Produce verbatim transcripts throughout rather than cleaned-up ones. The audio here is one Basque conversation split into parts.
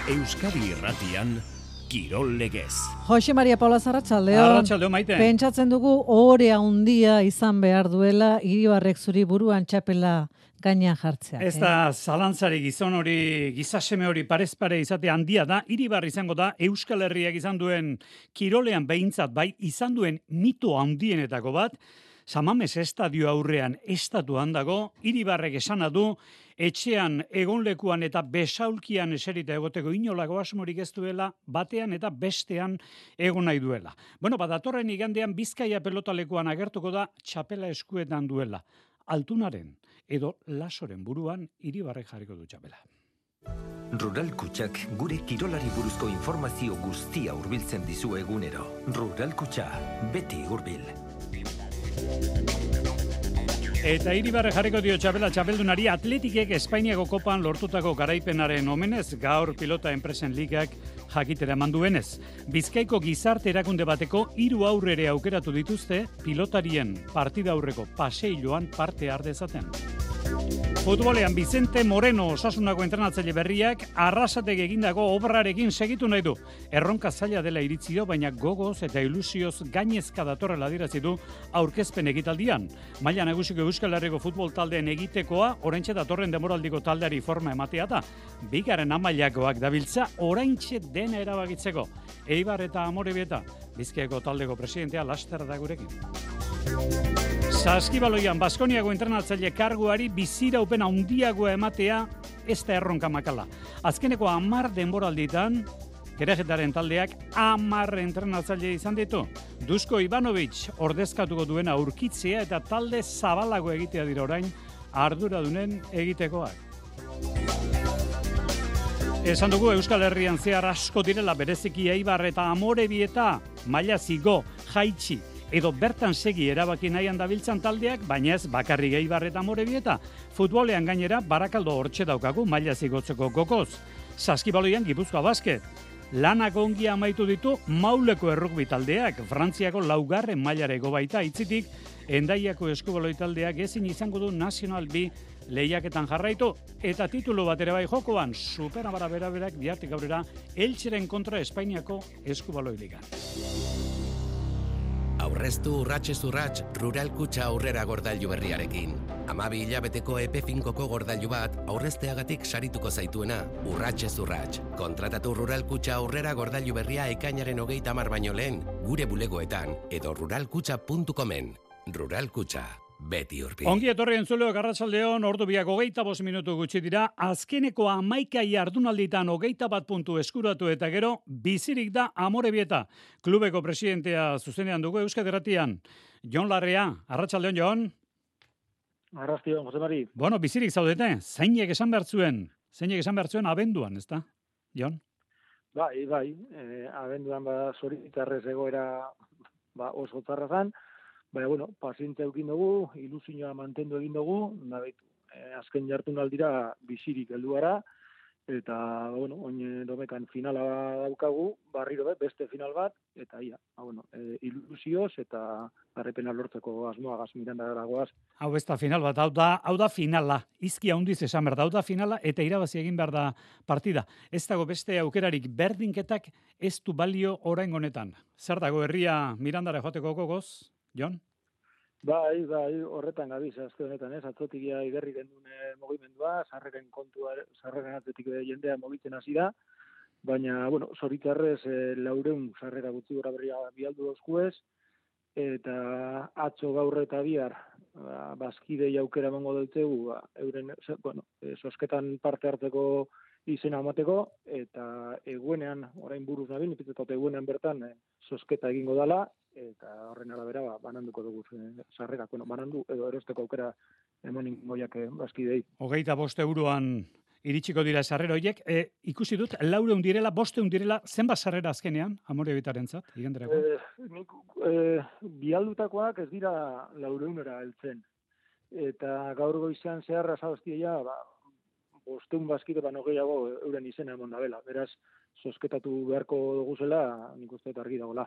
Euskadi Irratian, Kirol Legez. Jose Maria Paula Arratsaldeon. Arratsaldeon, Maite. Pentsatzen dugu ohore handia izan behar duela Iribarrek zuri buruan txapela gainean jartzea. Ez da zalantzari gizon hori, gizaseme hori parez pare izate handia da, Iribar izango da Euskal Herriak izan duen kirolean behintzat bai izan duen mito handienetako bat, Samames estadio aurrean estatuan dago, Iribarrek esana du, etxean, egonlekuan eta besaulkian eserita egoteko inolako asmorik ez duela, batean eta bestean egon nahi duela. Bueno, bat datorren igandean Bizkaia pelotalekuan agertuko da txapela eskuetan duela. Altunaren edo Lasoren buruan Iribarrek jarriko du txapela. Rural Kutxak gure kirolari buruzko informazio guztia hurbiltzen dizu egunero. Rural Kutxa, beti hurbil. Eta Iribarrek jarriko dio txapela txapeldunari Atletikek Espainiako kopan lortutako garaipenaren omenez gaur pilota enpresen ligak jakitera eman duenez. Bizkaiko gizarte erakunde bateko hiru aurrere aukeratu dituzte pilotarien partida aurreko paseiloan parte har dezaten. Futbolean Vicente Moreno Osasunako entrenatzaile berriak Arrasatek egindako obrarekin segitu nahi du. Erronka zaila dela iritzi dio, baina gogoz eta ilusioz gainezka datorrela adierazi du aurkezpen ekitaldian. Maila nagusiko Euskal Herriko futbol taldeen egitekoa oraintxe datorren demoraldiko taldeari forma ematea da. Bigarren amailakoak dabiltza oraintxe dena erabakitzeko. Eibar eta Amorebieta, Bizkaiko taldeko presidentea laster da gurekin. Saskibaloian Baskoniako entrenatzaile karguari biziraupen handiagoa ematea ez da erronka makala. Azkeneko hamar denboralditan, Kerejetaren taldeak hamar entrenatzaile izan ditu. Dusko Ivanovic ordezkatuko duena aurkitzea eta talde zabalago egitea dira orain arduradunen egitekoak. Esan dugu Euskal Herrian zehar asko direla bereziki Eibar eta Amorebieta, maila zigo, jaitsi, edo bertan segi erabaki nahian dabiltzan taldeak, baina ez bakarrik Eibar eta Amorebieta. Futbolean gainera Barakaldo hortxe daukagu maila zigotzeko gokoz. Saskibaloian Gipuzkoa Basket. Lanak ongi amaitu ditu Mauleko errugbi taldeak, Frantziako laugarren mailareko baita itzitik, Endaiako eskubaloi taldeak ezin izango du National B lehiaketan jarraitu, eta titulu bat ere bai jokoan, Superabara beraberak bihartik aurrera Eltzeren kontra Espainiako eskubaloi ligan. Aurreztu urratxez urratx Rural Kutxa aurrera gordailu berriarekin. Hamabi hilabeteko epe finkoko gordailu bat aurrezteagatik sarituko zaituena, urratxez urratx. Kontratatu Rural Kutxa aurrera gordailu berria ekainaren hogeita hamar baino lehen, gure bulegoetan edo ruralkutxa puntu comen. Rural Kutxa, beti urbi. Ongi etorri entzuleok arratsaldeon, ordu biak hogeita bost minutu gutxi dira, azkeneko hamaika jardunalditan hogeita bat puntu eskuratu eta gero, bizirik da Amorebieta. Klubeko presidentea zuzenean dugu Euskadi Irratian. Jon Larrea, arratsaldeon Jon. Arratsaldeon, Jose Mari. Bueno, bizirik zaudete, zeinek esan behar zuen, zeinek esan behar zuen abenduan, ezta? Jon? Bai, bai, eh, abenduan ba zoritarrez egoera ba oso txarra zan. Baina, bueno, pazientzia eukin dugu, ilusioa mantendu egin dugu, nabait, eh, azken jardunaldira bizirik heldu gara, eta, bueno, oin domekan finala daukagu, barriro be, beste final bat, eta ia, ba, bueno, eh, ilusioz eta garrepena lortzeko asmoagaz miranda dagoaz. Hau ez da final bat, hau da, hau da finala, izki handiz esan behar da, hau da finala, eta irabazi egin behar da partida. Ez dago beste aukerarik berdinketak ez du balio orain honetan. Zer dago herria Mirandara joateko gogoz? Jon? Bai, bai, horretan gabiz, azte honetan, ez, atzotik ja igerri gendune mugimendua, sarreren kontua, sarreren atzetik jendea mugitzen hasi da, baina, bueno, zoritzarrez e, laureun sarrera gutxi gora berria bialdu dozkuez, eta atzo gaur eta bihar, ba, bazkidei aukera emango deutzegu, ba, euren, bueno, e, sosketan parte hartzeko izena amateko, eta eguenean, orain buruz nabil, ipitzetot eguenean bertan, e, sosketa egingo dala, eta horren arabera ba, bananduko dugu e, sarrerak, bueno, banandu edo erosteko aukera emonin goiak e, bazkidei. Hogeita bost euroan iritsiko dira sarrera horiek, e, ikusi dut, laureun direla, bosteun direla, zenbat sarrera azkenean, Amorebitarentzat, iganderako? E, nik, e, bialdutakoak ez dira laureunera heltzen, eta gaur goizan zeharra zabaztia, ba, bosteun bazkide baino gehiago euren izena emon da bela, beraz, sosketatu beharko duguzela, nik uste argi dagoela.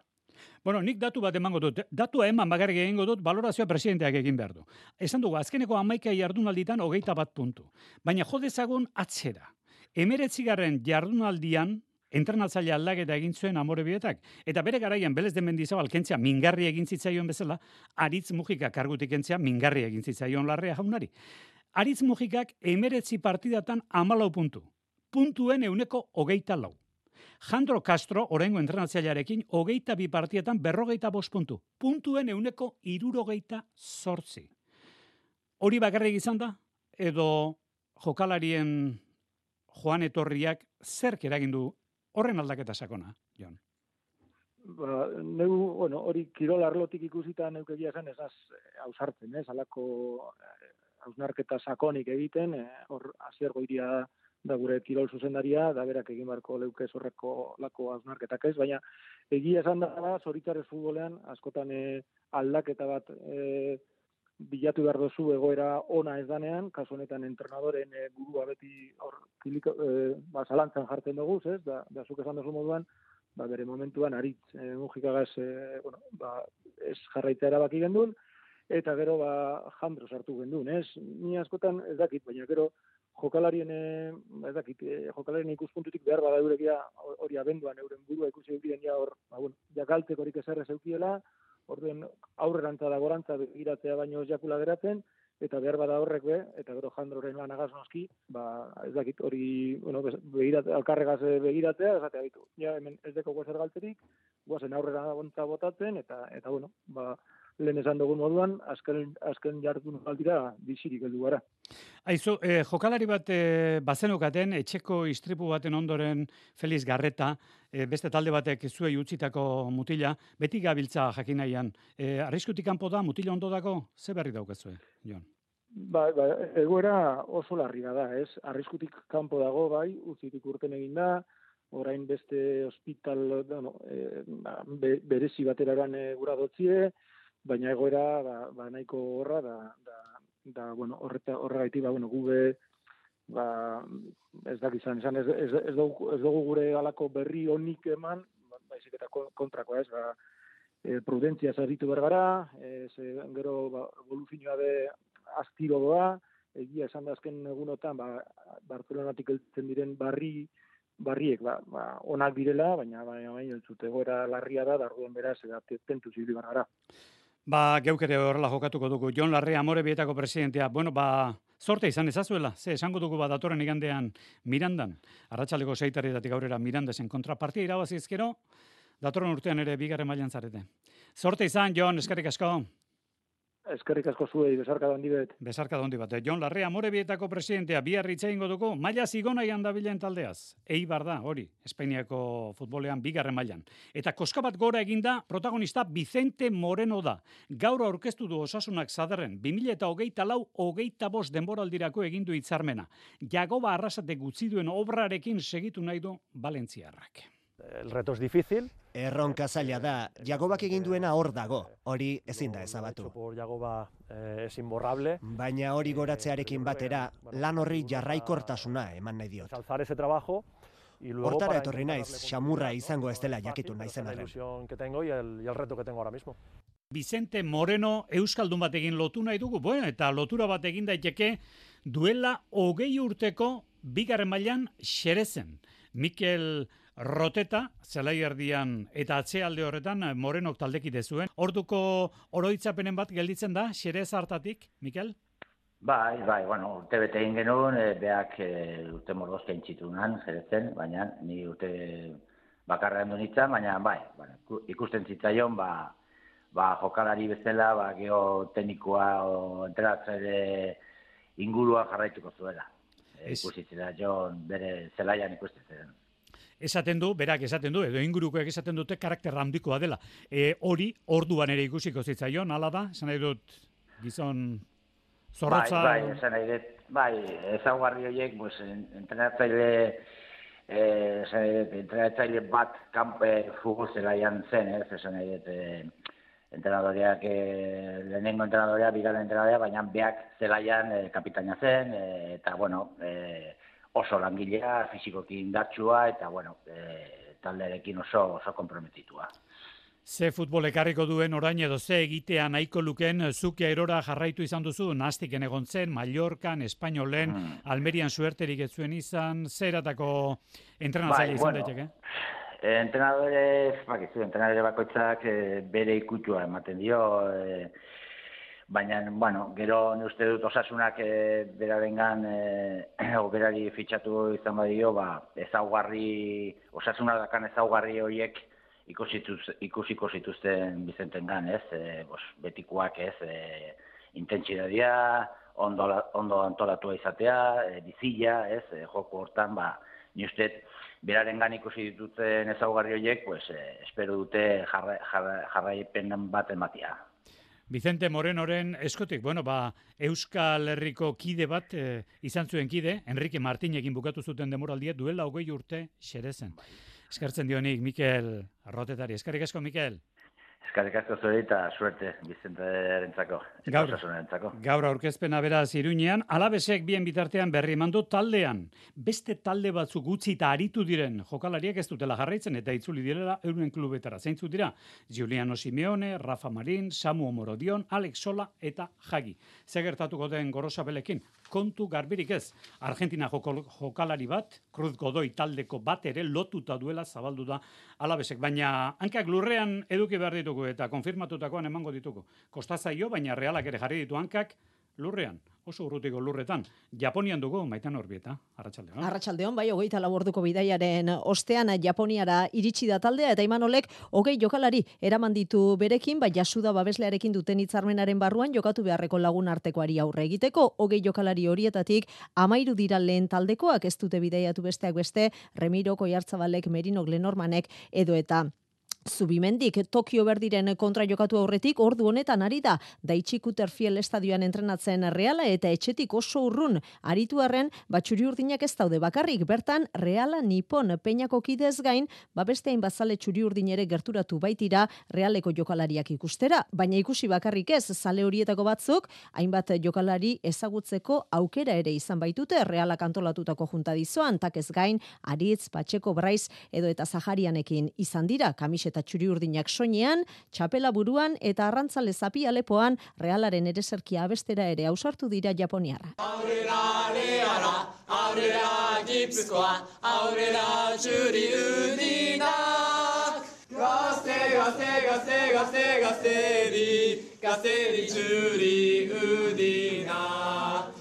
Bueno, nik datu bat emango dut. Datua eman bakarrik egingo dut, balorazioa presidenteak egin behar du. Esan dugu, azkeneko hamaika jardunalditan hogeita bat puntu. Baina jo dezagun atzera. Hemeretzigarren jardunaldian, entrenatzaile aldaketa egin zuen Amorebietak, eta bere garaian Belez de Mendizabal kentzea mingarri egin zitzaion bezala, Aritz Mujika kargutik kentzea mingarri egin zitzaion Larrea jaunari. Aritz Mujikak hemeretzi partidatan hamalau puntu. Puntuen euneko hogeita lau. Jandro Castro, oraingo entrenatzailearekin, hogeita bi partietan berrogeita bost puntu. Puntuen euneko hirurogeita zortzi. Hori bakarrik izan da, edo jokalarien joan etorriak zerk eragin du horren aldaketa sakona, Jon? Ba, neu, bueno, hori kirol arlotik ikusita neukegia zen ez az ausartzen, ez, alako hausnarketa sakonik egiten, hor Asier Goiria da gure kirol zuzendaria, da berak egin barko leukez horreko lako hausnarketak ez, baina egia esan da, zoritxarrez futbolean, askotan eh, aldaketa bat eh, bilatu behar dozu egoera ona ez danean, kasu honetan entrenadoren e, burua beti hor kiliko, e, ba, zalantzan jartzen dugu, ez? Da, da zuk esan duzu moduan, ba, bere momentuan Aritz e, Mujikagaz e, bueno, ba, ez jarraitzea erabaki gendun, eta gero ba, Jandro sartu gendun, ez? Ni askotan ez dakit, baina gero jokalarien, ez dakit, jokalarien ikuspuntutik behar bada eurekia hori abenduan euren burua ikusi eukien ja hor, ba, bueno, jakaltek horik ezerrez eukiela, orduen aurrerantza da gorantza begiratzea baino ez jakula geratzen, eta behar bada horrek be, eta gero Jandroren lanagaz noski, ba, ez dakit, hori, bueno, begiratzea, alkarregaz begiratzea, esatea ditu. Ja, hemen ez deko guazer galtzerik, guazen aurrera gontza botatzen, eta, eta bueno, ba, lehen esan dugun moduan, azken, azken jardun aldira bizirik heldu gara. Aizu, eh, jokalari bat eh, bazenokaten, etxeko istripu baten ondoren Feliz Garreta, eh, beste talde batek zuei utzitako mutila, beti gabiltza jakin nahian. Eh, arriskutik kanpo da, mutila ondo dako, ze berri daukazue, Jon? Ba, ba, egoera oso larria da, ez? Arriskutik kanpo dago, bai, utzitik urten egin da, orain beste hospital, bueno, eh, be, berezi bateraran e, gura dotzie, baina egoera ba, ba nahiko horra da, da, da bueno, horreta horregaitik ba bueno, gube ba ez dakizan, izan ez ez ez dugu, ez dugu gure halako berri onik eman, baizik eta kontrakoa, ez, ba e, prudentzia zaritu bergara, ez gero ba evoluzioa de astiro doa, egia esan da azken egunotan ba Barcelonatik heltzen diren barri barriek ba, ba onak direla, baina baina baina ez dute egoera larria da, darruen beraz eta tentuz ibili gara. Ba, geuk ere horrela jokatuko dugu. Jon Larrea, Amorebietako presidentea. Bueno, ba, sorte izan ezazuela. Ze, esango dugu ba, datorren igandean Mirandan. Arratsaleko seitarretatik aurrera Mirandasen kontrapartia irabazizkero, datorren urtean ere bigarren mailan zarete. Sorte izan, Jon, eskerrik asko. Eskerrik asko zuei, besarka da handi bet. Besarka da handi bat. Jon Larrea, Amorebietako presidentea, bihar hitz egingo dugu, maila zigonaian dabilen taldeaz. Eibar da, hori, Espainiako futbolean bigarren mailan. Eta koska bat gora eginda, protagonista Vicente Moreno da. Gaur aurkeztu du Osasunak Zadarren, bi mila hogeita lau hogeita bost denboraldirako egindu hitzarmena. Jagoba Arrasate gutzi duen obrarekin segitu nahi du Valentziarrak. El reto es difícil. Erronka zaila da, Jagobak egin duena hor dago, hori ezin da ezabatu. Por Jagoba eh, es imborrable. Baina hori goratzearekin batera, lan horri jarraikortasuna eman nahi diot. Alzar ese trabajo. Hortara etorri naiz, xamurra izango ez dela jakitu naizen arren. Que tengo y el, y el reto que tengo ahora mismo. Vicente Moreno euskaldun batekin lotu nahi dugu, bueno, eta lotura bat egin daiteke duela hogei urteko bigarren mailan Xerezen. Mikel Roteta, zelai erdian eta atzealde horretan Morenok taldekide zuen. Orduko oroitzapenen bat gelditzen da, Xerez hartatik, Mikel? Bai, bai, bueno, urte bete egin genuen, e, beak e, urte morgozke intxitunan, Xerezen, baina ni urte bakarra endu nintzen, baina bai, bueno, ikusten zitzaion, ba, ba jokalari bezala, ba, geoteknikoa o entrenatzaile ingurua jarraituko zuela. E, ikusitzera Jon bere zelaian ikusten. Esaten du, berak esaten du, edo ingurukoek esaten dute karakter handikoa dela. E, hori, orduan ere ikusiko zitzaion, hala da? Esan nahi dut, gizon zorrotza... Bai, bai, esan nahi dut, bai, ezaugarri horiek, pues, entrenatzaile, eh, esan nahi dut, entrenatzaile bat kanpe futbol zelaian zen, ez, esan nahi dut, eh, entrenadoreak, eh, lehenengo entrenadorea, bigarren entrenadorea, baina beak zelaian eh, kapitaina zen, eh, eta, bueno, eh, oso langilea, fisikoki indartsua, eta, bueno, e, taldearekin oso, oso komprometitua. Ze futbol ekarriko duen orain edo ze egitea nahiko luken, zuke erora jarraitu izan duzu, nastiken egon zen, Mallorcan, Espainolen, hmm. Almerian suerterik ez zuen izan, zeratako entrenatzaile bai, izan bueno, daiteke? Entrenadore, bakizu, entrenadore bakoitzak e, bere ikutua ematen dio, e, baina, bueno, gero ne uste dut osasunak e, berarengan, e, o berari fitxatu izan badio, ba, ezaugarri, osasuna dakan ezaugarri horiek, ikusiko zituzten Bizentengan, ez, e, bos, betikoak, ez, e, intentsidadia, ondo, ondo antolatua izatea, e, bizila, ez, e, joko hortan, ba, ni uste, berarengan ikusi dituten ezaugarri horiek, pues, e, espero dute jarra, jarra, jarraipen bat ematia. Vicente Morenoren eskotik, bueno, ba, Euskal Herriko kide bat e, izan zuen kide, Enrique Martinekin bukatu zuten demoraldia, duela hogei urte xerezen. Eskertzen dionik, Mikel Arrotetari. Eskerrik asko, Mikel. Eskerrik asko zure eta suerte Bizenterentzako. Gaur, gaur aurkezpena beraz Iruñean, Alabesek bien bitartean berri emandu taldean. Beste talde batzuk utzi eta aritu diren jokalariak ez dutela jarraitzen eta itzuli direla euren klubetara. Zeintzu dira? Giuliano Simeone, Rafa Marin, Samu Omorodion, Alex Sola eta Jagi. Ze gertatuko den Gorosabelekin? Kontu garbirik ez. Argentina joko, jokalari bat, Cruz Godoy taldeko bat ere lotuta duela zabaldu da Alabesek. Baina hankak lurrean eduki behar ditugu eta konfirmatutakoan emango ditugu. Kostazaio, baina Realak ere jarri ditu hankak lurrean, oso urrutiko lurretan. Japonian dugu, Maitan Orbieta, Arratsaldeon. Arratsaldeon, bai, hogeita lau orduko bidaiaren ostean Japoniara iritsi da taldea, eta Imanolek hogei jokalari eraman ditu berekin, bai Yasuda babeslearekin duten hitzarmenaren barruan jokatu beharreko lagun artekoari aurre egiteko. Hogei jokalari horietatik hamairu dira lehen taldekoak, ez dute bidaiatu besteak beste, Remiro, Oiartzabalek, Merino, Glenormanek edo eta Zubimendik Tokio Berdiren kontra jokatu aurretik ordu honetan ari da Daichi Kuterfiel estadioan entrenatzen Reala eta etxetik oso urrun aritu arren batxuri urdinak ez daude bakarrik bertan Reala Nippon Peñako kidez gain ba beste hainbat zale txuri urdin ere gerturatu baitira Realeko jokalariak ikustera, baina ikusi bakarrik ez zale horietako batzuk hainbat jokalari ezagutzeko aukera ere izan baitute Realak antolatutako junta dizoan takez gain Aritz, Patxeko, Braiz edo eta Zaharianekin izan dira kamiseta eta txuri urdinak soinean, txapela buruan eta arrantzale zapi alepoan Realaren ereserkia abestera ere ausartu dira japoniarra. Aurrera Reala, aurrera Gipuzkoa, aurrera txuri urdinak, gazte, gazte, gazte, gazte, gazteri, gazteri txuri urdinak,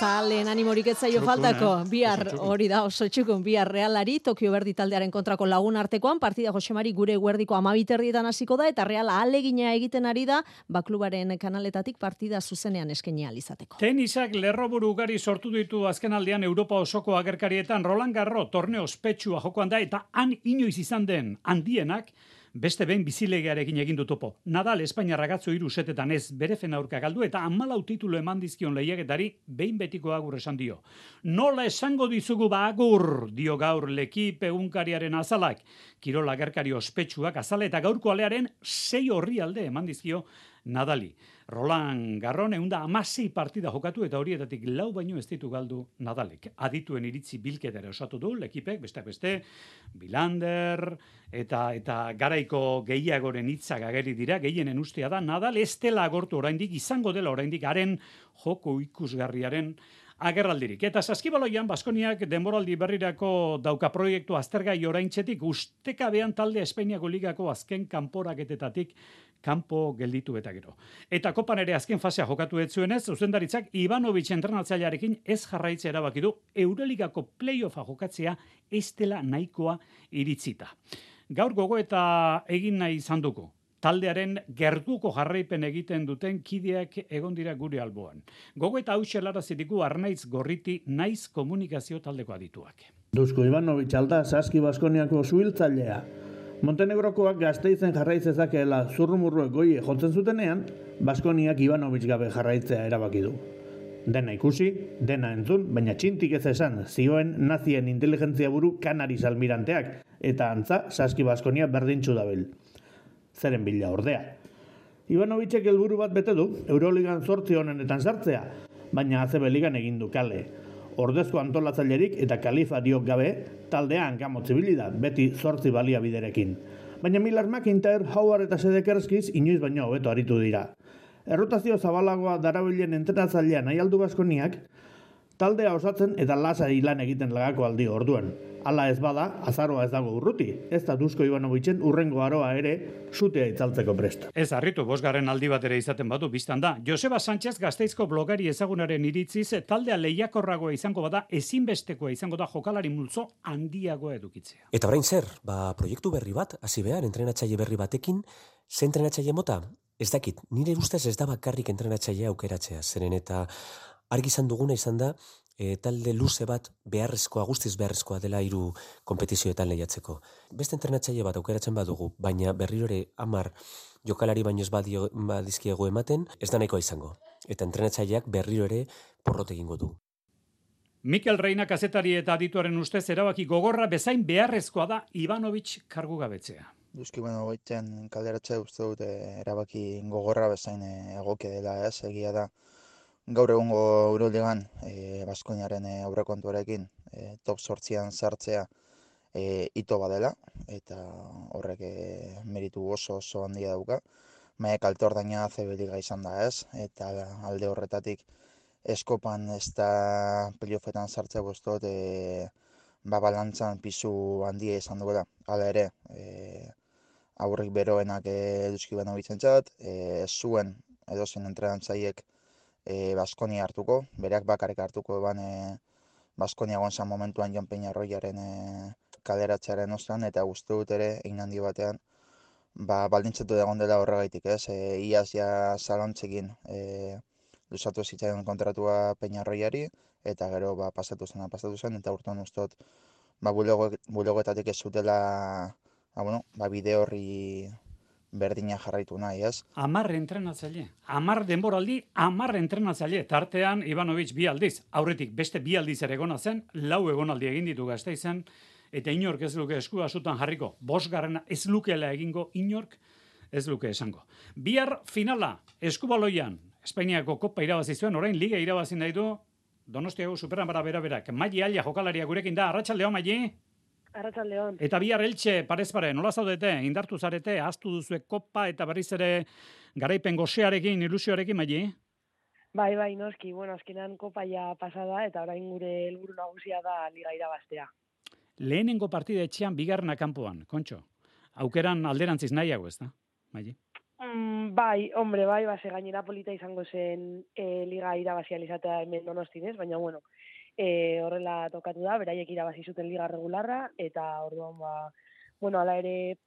Zalen animorik etzaio faltako, bihar hori da oso txukun, bihar Realari, Tokio Berdi taldearen kontrako lagun artekoan, partida Josemari gure guerdiko amabiterrietan hasiko da, eta Reala alegina egiten ari da, baklubaren kanaletatik partida zuzenean eskaini ahal izateko. Tenisak lerroburu ugari sortu ditu azken aldean Europa osoko agerkarietan, Roland Garros torneo ospetsua jokoan da, eta han inoiz izan den handienak, beste behin bizilegearekin egin du topo. Nadal Espainiarra gatzo hiru setetan ez bere aurka galdu eta hamalau titulu eman dizkion lehiaketari behin betiko agur esan dio. Nola esango dizugu ba agur, dio gaur Lekip egunkariaren azalak. Kirol agerkari ospetsuak azala eta gaurko alearen sei orrialde eman dizkio Nadali. Roland Garros ehun eta hamasei partida jokatu eta horietatik lau baino ez ditu galdu Nadalek. Adituen iritzi bilketera osatu du Lekipek, beste beste, Bilander eta eta garaiko gehiagoren hitzak ageri dira, gehienen ustea da Nadal ez dela agortu oraindik, izango dela oraindik haren joko ikusgarriaren agerraldirik. Eta Saskibaloian Baskoniak denboraldi berrirako dauka proiektu aztergai oraintzetik ustekabean talde Espainiako ligako azken kanporaketetatik kanpo gelditu eta gero. Eta kopan ere azken fasea jokatu ez zuenez, zuzendaritzak Ivanovic entrenatzailearekin ez jarraitze erabaki du Euroligako playoffa jokatzea ez dela nahikoa iritzita. Gaur gogoeta egin nahi izan dugu. Taldearen gertuko jarraipen egiten duten kideak egon dira gure alboan. Gogoeta hau xelarrazitiku Arnaiz Gorriti naiz komunikazio taldeko adituak. Dusko Ivanovic alda Saski Baskoniako suhiltzailea. Montenegrokoak Gasteizen jarraitzezakeela zurrumurruek goie jotzen zutenean, Baskoniak Ivanovic gabe jarraitzea erabaki du. Dena ikusi, dena entzun, baina txintik ez esan, zioen nazien inteligentzia buru Kanaris almiranteak, eta antza Saski Baskonia berdintxu dabil. Zeren bila ordea. Ivanovicek helburu bat bete du, Euroligan zortzi honenetan sartzea, baina A C B ligan egin du kale. Ordezko antolatzailerik eta kalifariok gabe, taldean gamotzibili da, beti zortzi baliabiderekin. Baina Miller McIntyre, Howard eta Sedekerskiz inoiz baino hobeto aritu dira. Errotazio zabalagoa darabilen entrenatzailean nahi aldu Baskoniak, taldea osatzen eta lasai lan egiten lagako aldi orduan. Hala ez bada, azaroa ez dago urruti. Ez da Dusko Ivanovitzen urrengo aroa ere sutea itzaltzeko presta. Ez harritu, bosgarren aldi bat ere izaten badu, biztan da. Joseba Sánchez Gasteizko blogari ezagunaren iritziz, taldea lehiakorragoa izango bada, ezinbestekoa izango da jokalari multzo handiagoa edukitzea. Eta orain zer, ba, proiektu berri bat, hasi behar, entrenatzaile berri batekin, ze entrenatzaile mota? Ez dakit, nire ustez ez da bakarrik entrenatzailea aukeratzea, zeren eta argi izan duguna izan da, e, talde luze bat beharrezkoa, guztiz beharrezkoa dela hiru konpetizioetan lehiatzeko. Beste entrenatzaile bat aukeratzen badugu, baina berrirore hamar jokalari baino ez badio, badizkiego ematen, ez da nahikoa izango. Eta entrenatzaileak berriro ere porrot egingo du. Mikel Reina kazetari eta adituaren ustez erabaki gogorra bezain beharrezkoa da Ivanovic kargu gabetzea. Duzki bueno goitzen kalderatzea uste dut erabaki gogorra bezain egokia dela, ez, egia da. Gaur egungo Euroligan e, Baskoniaren e, aurrekontuarekin e, top zortzian sartzea e, ito badela eta horrek e, meritu oso oso handia dauka. Baina kalte ordaina A C B liga izan da, ez, eta alde horretatik eskopan ez da playoffetan sartzea bostot e, ba balantzan pisu handia izan duela. Hala ere, e, aurrik beroenak e, Duski Ivanoviczentzat, e, zuen edozein entrenatzaileek E, Baskonia hartuko, bereak bakarrik hartuko eban e, Baskonia gonzan momentuan Jon Peñarroiaren e, kaleratzearen ostean, eta uste dut ere, egin handi batean, ba, baldintzatu egon dela horregaitik, ez? E, iaz ja zalontzekin e, luzatu zitzaion kontratua Peñarroiari, eta gero ba, pasatu zen, pasatu zen, eta urtean uste dut, ba, bulegoetatik ez zutela, ba, bueno, ba, bide horri berdina jarraitu nahi, ez? Amar entrenatzaile, amar denboraldi, amar entrenatzaile. Tartean, Ivanovic bi aldiz, aurretik beste bi aldiz ere egona zen, lau egonaldi egin ditu Gasteizen, eta inork ez luke eskua asutan jarriko. Bosgarrena ez lukela egingo, inork ez luke esango. Bihar finala, eskubaloian, Espainiako kopa irabazi zuen, orain liga irabazi nahi du, Donostiako superan bara bera berak. Maili Alia jokalaria gurekin da, arratsaldeon Maili. Arratsaldeon. Eta bihar Eltxe, parez pare, nola zaudete, indartu zarete, ahaztu duzue kopa eta berriz ere garaipen gosearekin, ilusioarekin, Maili? Bai, bai, noski, bueno, azkenan kopa ja pasada eta orain gure helburu nagusia da liga irabaztea. Lehenengo partida etxean bigarrena kanpoan, Kontxo. Aukeran alderantziz nahiago, ez da, Maili? Mm, bai, hombre, bai, base gainera polita izango zen e, liga irabazia izatea hemen Donostinez, baina bueno, E, horrela tokatu da, beraiek irabazi zuten liga regularra, eta orduan ba, bueno, ala ere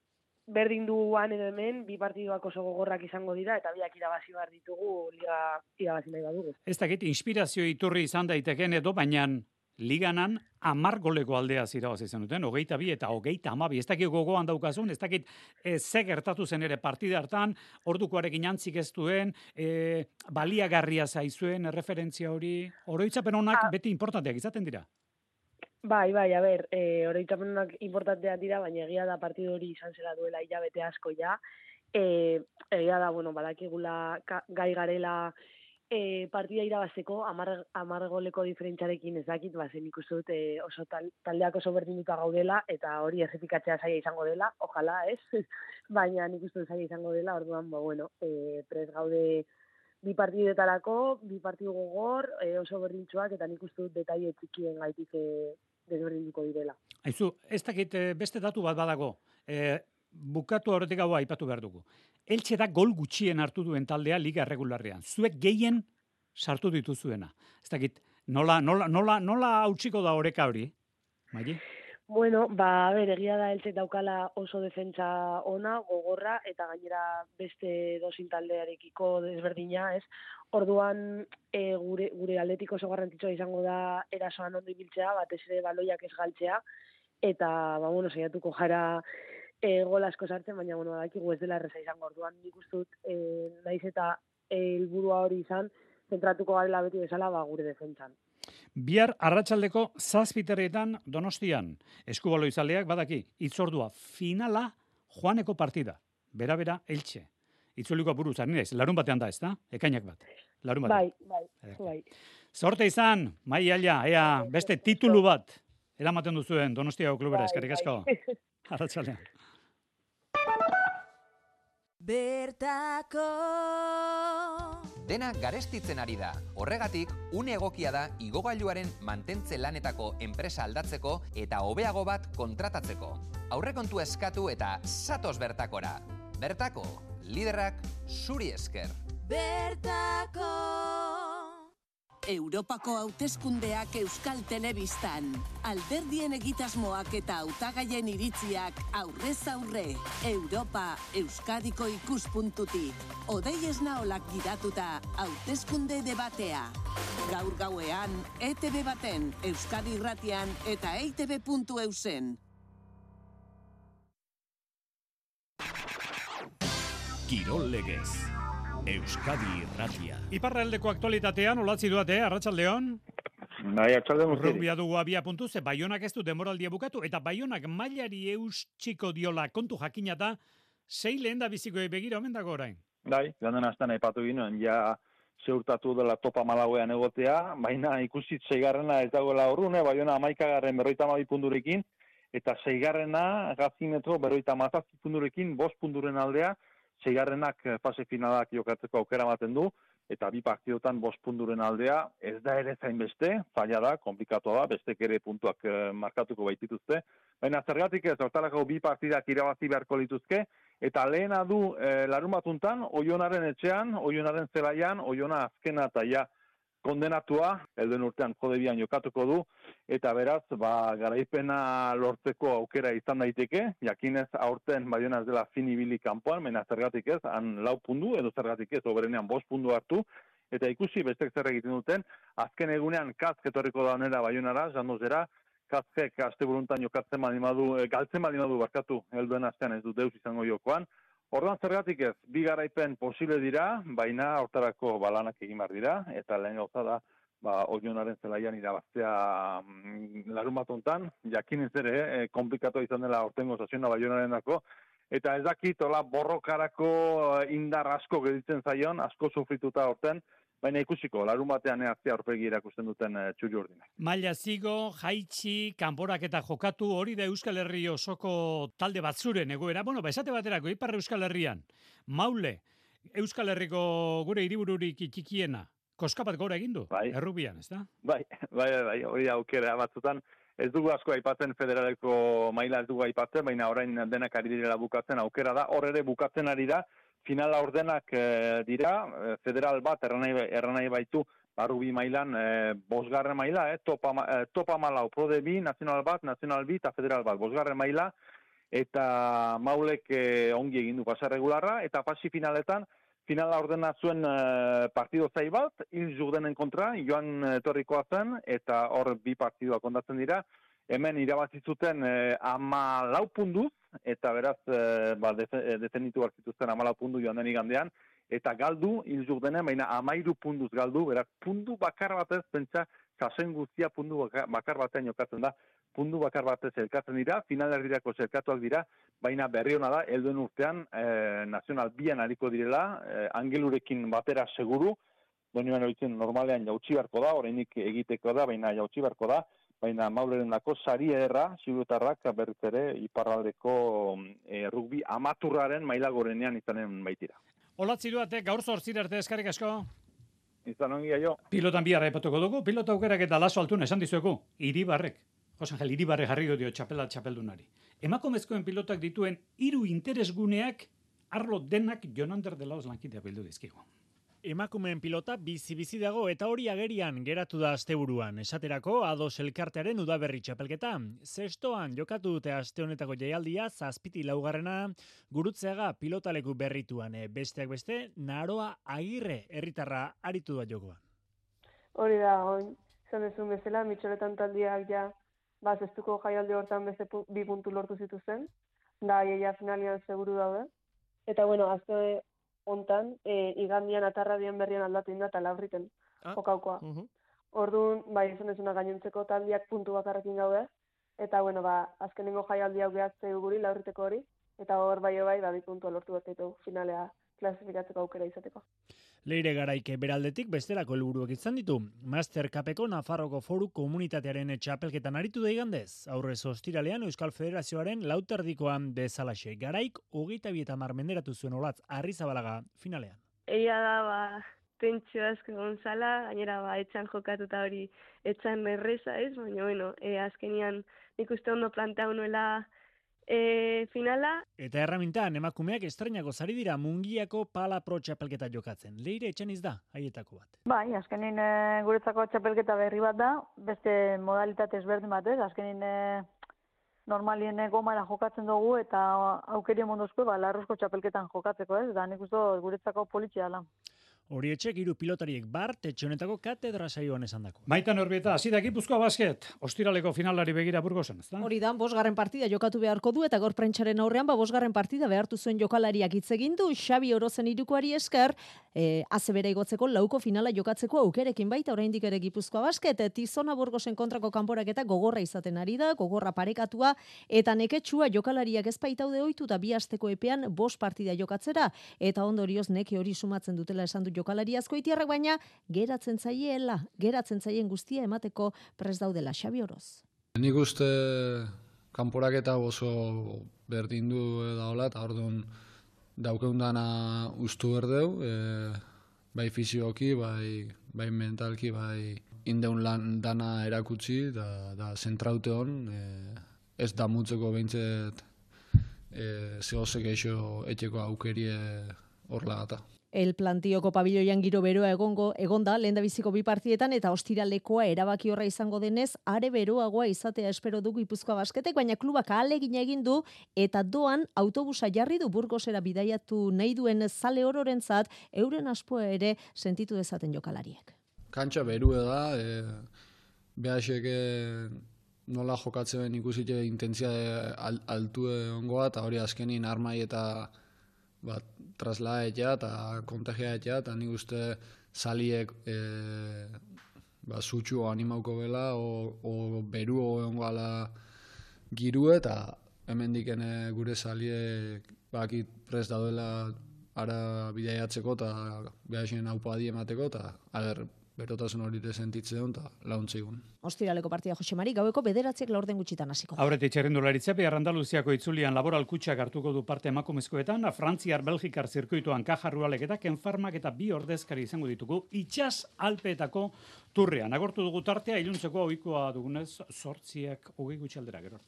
berdin duan edo hemen, bi partiduak oso gogorrak izango dira, eta biak irabazi behar ditugu liga irabazi nahi badugu. Ez dakit, inspirazio iturri izan daiteken edo, baina liganan amar goleko aldea irabazi zenuten, hogeita bi eta hogeita amabi, ez dakit gogoan daukazun, ez dakit e, ze gertatu zen ere partida hartan, ordukoarekin antzik ez duen, e, baliagarria zaizuen, referentzia hori, oroitzapen honak beti importanteak izaten dira? Bai, bai, a ber, e, oroitzapen honak importanteak dira, baina egia da partidu hori izan zela duela hilabete asko ja, e, egia da, bueno, badakigula gai garela, E, partida irabazteko hamar goleko diferentziarekin ez dakit, bazen ikustu dut e, oso tal, taldeak oso berdinduta gaudela eta hori errepikatzea zaila izango dela, ojalá, ez? Baina nik uste dut zaila izango dela, orduan, ba, bueno, e, prez gaude bi partidetarako, bi partidu gogor, e, oso berdintsuak eta nik uste dut detaile txikien gaitik e, desberdinduko direla. Aizu, ez dakit beste datu bat badago, e, bukatu horretik hau aipatu behar dugu. Eltxe da gol gutxien hartu duen taldea liga regularrean. Zuek gehien sartu dituzuena. Ez dakit, nola, nola, nola, nola hautsiko da oreka hori? Maili? Bueno, ba, ber, egia da Eltxe daukala oso defentsa ona, gogorra, eta gainera beste dozin taldearekiko desberdina, ez? Orduan, e, gure, gure aldetik oso garrantzitsua izango da erasoan ondo ibiltzea, batez ere baloiak ez galtzea, eta, ba, bueno, saiatuko jara E, gol asko sartzen, baina bueno, badakigu ez dela erreza izango, orduan nik uste dut e, naiz eta helburua hori izan, zentratuko garela beti bezala ba, gure defentsan. Bihar arratsaldeko zazpiterretan Donostian, eskubalo izaleak badaki, itzordua finala joaneko partida, bera-bera Eltxe. Itzuliko buruz, ari naiz, larun batean da, ez da? Ekainak bat. Larun batean. Bai, bai, bai. Zorte izan, Maiaia, ea, beste titulu bat eramaten duzuen Donostiako klubera, eskerrik asko. Arratsaldean. Bertako Dena garestitzen ari da. Horregatik, une egokia da igogailuaren mantentze lanetako enpresa aldatzeko eta hobeago bat kontratatzeko. Aurrekontu eskatu eta zatoz bertakora. Bertako, liderrak zuri esker. Bertako Europako hauteskundeak Euskal Telebistan. Alderdien egitasmoak eta hautagaien iritziak aurrez aurre. Europa Euskadiko ikuspuntutik. Odei Esnaolak gidatuta hauteskunde debatea. Gaur gauean, E T B baten, Euskadi Irratian eta E I T B puntu eusen. Kirol Legez. Euskadi Irratia. Iparraldeko aktualitatean olatzi duate, Arratsaldeon. Bai, arratsaldeon. Rugbia dugu abia puntu, ze Baionak ez du denboraldia bukatu, eta Baionak mailari eustxiko diola kontu jakina da, sei lehen da bizikoei begira omen dago orain. Bai, ganden astan aipatu ginen, ja zeurtatu dela topa malauean egotea, baina ikusit seigarrena ez dagoela urrune, Baiona hamaikagarren berroita hamabi punturekin, eta seigarrena gazimetro berroita hamazazpi punturekin, bost punturen aldea, seigarrenak fase finalak jokatzeko aukera ematen du, eta bi partidotan bost punturen aldea, ez da ere zain beste, zaila da, komplikatu da, bestek ere puntuak markatuko baitituzte, baina zergatik ez, hortarako bi partidak irabazi beharko lituzke, eta lehena du e, larun batuntan, Oionaren etxean, Oionaren zelaian, Oiona azkena eta ja kondenatua, elden urtean jodebian jokatuko du, eta beraz, ba, garaipena lortzeko aukera izan daiteke, jakinez aurten Baiona ez dela finibili kanpoan, mena zergatik ez, han lau pundu, edo zergatik ez, oberenean bost pundu hartu, eta ikusi bestek zer egiten duten, azken egunean Kazk etorriko da onera Baionara, jandozera, Kazkek aste buruntan jokatzen badimadu, galtzen badimadu barkatu, helduen astean ez du deus izango jokoan, orduan zergatik ez, bi garaipen posible dira, baina hortarako balanak egin behar dira, eta lehen gauza da, ba, Oionaren zelaian irabaztea mm, larun bat hontan, jakin ez ere, eh, komplikatu izan dela hortengo saziona Baionaren dako, eta ez dakit, hola, borrokarako indar asko gelditzen zaion, asko sufrituta horten, baina ikusiko, larun batean eaztea aurpegi erakusten duten e, txuri urdinak. Maila zigo, jaitsi, kanporak eta jokatu, hori da Euskal Herri osoko talde batzuren egoera. Bueno, ba, esate baterako, Ipar Euskal Herrian, Maule, Euskal Herriko gure hiribururik txikiena, koska bat gora egin du, bai. Errubian, ez da? Bai, bai, bai, hori aukera batzutan. Ez dugu asko aipatzen federaleko maila ez dugu aipatzen, baina orain denak ari direla bukatzen aukera da, hor ere bukatzen ari da, finala ordenak e, dira, e, federal bat erranai, erranai baitu, barrubi mailan, e, bosgarren maila, eh, topa, e, topa malau, prode bi, nazional bat, nazional bi eta federal bat, bosgarren maila, eta Maulek e, ongi egin du pasa regularra, eta pasi finaletan, finala ordena zuen e, partido zai bat, hil jurdenen kontra, joan etorrikoa zen, eta hor bi partidoak ondatzen dira, hemen irabazi zuten e, ama lau punduz, eta beraz, e, ba, defenditu hartzituzten ama lau pundu joan den igandean, eta galdu, hil jurdenen, baina amairu punduz galdu, beraz, pundu bakar batez, pentsa, kasen guztia pundu bakar batean jokatzen da, pundu bakar batez elkatzen dira, finalerdirako zelkatuak dira, baina berri hona da, helduen urtean, e, nazional bian hariko direla, e, angelurekin batera seguru, donioan horitzen normalean jautsi beharko da, orainik egiteko da, baina jautsi beharko da, baina Mauleren dako sari erra, zirutarrak berriz ere iparraldeko e, rugbi amaturraren maila gorenean izanen baitira. Olatzi duate, gaur zortzira arte eskarrik asko. Izan ongi aio. Pilotan bihar aipatuko dugu, pilota aukerak eta laso altuna esan dizuegu, Iribarrek. Jose Angel, Iribarrek jarri dio txapela txapeldunari. Emakumezkoen pilotak dituen hiru interesguneak arlo denak Jonander de Laos lankidea bildu dizkigu. Emakumeen pilota bizi-bizi dago eta hori agerian geratu da asteburuan. Esaterako Ados elkartearen udaberri txapelketa. Zestoan jokatu dute aste honetako jaialdia, zazpiti laugarrena, Gurutzeaga pilotaleku berrituan. Besteak beste, Naroa Agirre herritarra aritu da jokoan. Hori da, oin, zan ezun bezala, mitxoretan taldiak ja, ba, zestuko jaialdi hortan beste pu, bi puntu lortu zituzen, da, iaia finalian seguru daude. Eta, bueno, azte hontan, e, igandian atarradian berrian aldatu inda eta labriten ah. jokaukoa. Uh -huh. Orduan, bai, izan ezuna gainontzeko taldiak puntu bakarrekin gaude, eta, bueno, ba, azkenengo jaialdi hau gehatzea guri, labriteko hori, eta hor bai bai, ba, bi puntu lortu bertaitu finalea klasifikatzeko aukera izateko. Leire Garaike beraldetik bestelako helburuak izan ditu. Master Cupeko Nafarroko Foru Komunitatearen txapelketan aritu da igandez. Aurrez ostiralean Euskal Federazioaren lauterdikoan bezalaxe. Garaik hogeita bi eta hamar menderatu zuen Olatz Arrizabalaga finalean. Egia da, ba, tentsio asko egon zala, gainera ba, etxan jokatuta hori etxan erreza ez, baina bueno, e, azkenian nik uste ondo plantea nuela E, finala. Eta erramintan emakumeak estrenako zari dira Mungiako Pala Pro txapelketa jokatzen. Leire Etxaniz da, haietako bat. Bai, azkenin e, guretzako txapelketa berri bat da, beste modalitate ezberdin bat ez, azkenin e, normalien gomara jokatzen dugu eta aukerio mondozko ba, larruzko txapelketan jokatzeko ez, da nik uste guretzako politxea da. Horietxek hiru pilotariek bart etxe honetako katedra saioan esan dako. Maitan Orbieta, hasi da Gipuzkoa Basket, ostiraleko finalari begira Burgosen, ezta? Hori da, bosgarren partida jokatu beharko du eta gaur prentsaren aurrean ba bosgarren partida behartu zuen jokalariak hitz egin du Xabi Orozen hirukoari esker, eh azebera igotzeko lauko finala jokatzeko aukerekin baita oraindik ere Gipuzkoa Basket, Tizona Burgosen kontrako kanporaketa gogorra izaten ari da, gogorra parekatua eta neketsua jokalariak ez baitaude ohitu eta bi asteko epean bost partida jokatzera eta ondorioz neke hori sumatzen dutela esan du jokalari azkoitiarrak, baina geratzen zaiela, geratzen zaien guztia emateko prest daudela Xabi Oroz. Nik uste kanporaketa oso berdin du daola, eta orduan daukeun dana ustu berdeu, e, bai fizioki, bai, bai mentalki, bai indeun lan dana erakutsi, da, da zentraute hon, e, ez damutzeko behintzet e, zehozek eixo etxeko aukerie horlagata. El plantioko pabiloian giro beroa egongo egonda lehendabiziko bi partietan eta ostiralekoa erabaki horra izango denez are beroagoa izatea espero du Gipuzkoa Basketek, baina klubak ahalegina egin du eta doan autobusa jarri du Burgosera bidaiatu nahi duen zale ororentzat euren aspoa ere sentitu dezaten jokalariek. Kantxa berue da, e, behaseke nola jokatzen ikusite intentzia al, altue ongoa eta hori azkenin armai eta bat, traslaetea eta kontagiaetea, eta nik uste zaliek e, ba, zutxu animauko bela, o, o beru egongo ala giru eta hemendik gure zaliek bakit prest daudela ara bidaiatzeko eta behaxen haupa adi emateko, eta ager, berotasun hori sentitzen duen eta launtzigun. Ostiraleko partida Jose Mari, gaueko bederatziak laurden gutxitan hasiko. Aurretik txerrendularitza behar Andaluziako itzulian Laboral Kutxak hartuko du parte emakumezkoetan, Frantziar Belgikar zirkuituan Kajarrualek eta Kenfarmak eta bi ordezkari izango ditugu itsas Alpeetako turrean. Agortu dugu tartea, iluntzeko ohikoa dugunez, zortziak hogei gutxi aldera gero.